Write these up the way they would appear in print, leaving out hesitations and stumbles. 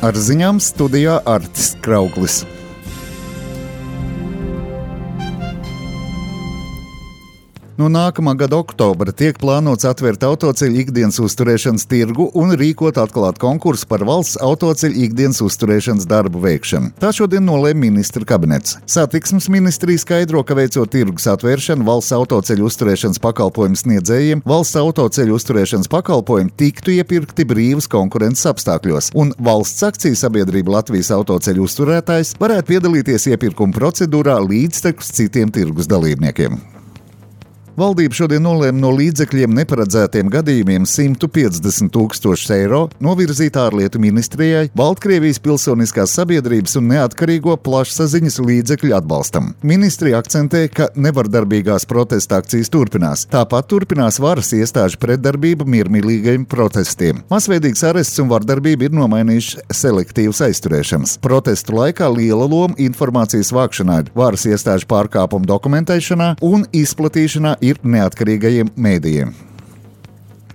Ar ziņām studijā Artis Krauklis. No nākamā gada oktobra tiek plānots atvērt autoceļu ikdienas uzturēšanas tirgu un rīkot atklātu konkursu par valsts autoceļu ikdienas uzturēšanas darbu veikšanu. Tā šodien nolēma ministra kabinets. Satiksmes ministrija skaidro, ka veicot tirgus atvēršanu valsts autoceļu uzturēšanas pakalpojumu sniedzējiem, valsts autoceļu uzturēšanas pakalpojumi tiktu iepirkti brīvas konkurences apstākļos, un valsts akciju sabiedrība Latvijas autoceļu uzturētājs varētu piedalīties iepirkuma procedūrā līdztekus citiem tirgus dalībniekiem. Valdība šodien nolēma no līdzekļiem neparedzētiem gadījumiem 150 000 eiro novirzīt ārlietu ministrijai, Baltkrievijas pilsoniskās sabiedrības un neatkarīgo plašsaziņas līdzekļu atbalstam. Ministrija akcentē, ka nevardarbīgās protesta akcijas turpinās. Tāpat turpinās varas iestāžu pretdarbība miermīlīgajiem protestiem. Masveidīgs arests un vardarbība ir nomainījuši selektīvas aizturēšanas. Protestu laikā liela loma informācijas vākšanā, varas iestāžu pārkāpumu dokumentēšanā un izplatīšanā ir neatkarīgajiem mēdījiem.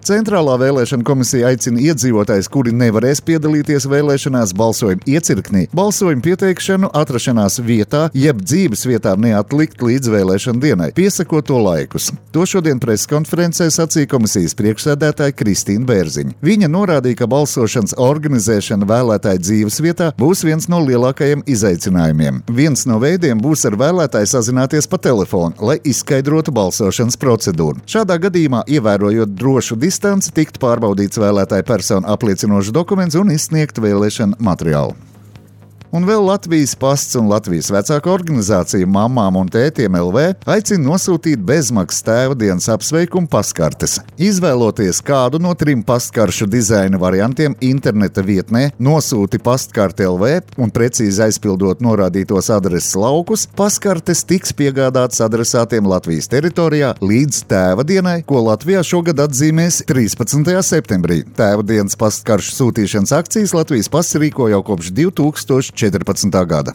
Centrālā vēlēšana komisija aicina iedzīvotājus, kuri nevarēs piedalīties vēlēšanās balsojuma iecirknī, balsojuma pieteikšanu atrašanās vietā, jeb dzīves vietā neatlikt līdz vēlēšana dienai, piesakot to laikus. To šodien preskonferencē sacīja komisijas priekšsēdētāja Kristīna Bērziņa. Viņa norādīja, ka balsošanas organizēšana vēlētāju dzīves vietā būs viens no lielākajiem izaicinājumiem. Viens no veidiem būs ar vēlētāju sazināties pa telefonu, lai izskaidrotu balsošanas procedūru. Šādā gadījumā, ievērojot drošu distanci, tiktu pārbaudīts vēlētāju personu apliecinošs dokuments un izsniegt vēlēšanu materiālu. Un vēl Latvijas pasts un Latvijas vecāku organizācija Mammām un tētiem LV aicina nosūtīt bezmaksas tēva dienas apsveikumu pastkartes. Izvēloties kādu no 3 pastkaršu dizaina variantiem interneta vietnē, nosūti pastkarte LV un precīzi aizpildot norādītos adreses laukus, pastkartes tiks piegādātas adresātiem Latvijas teritorijā līdz tēva dienai, ko Latvijā šogad atzīmēs 13. septembrī. Tēva dienas pastkaršu sūtīšanas akcijas Latvijas pasts rīko jau kopš 2014. gada.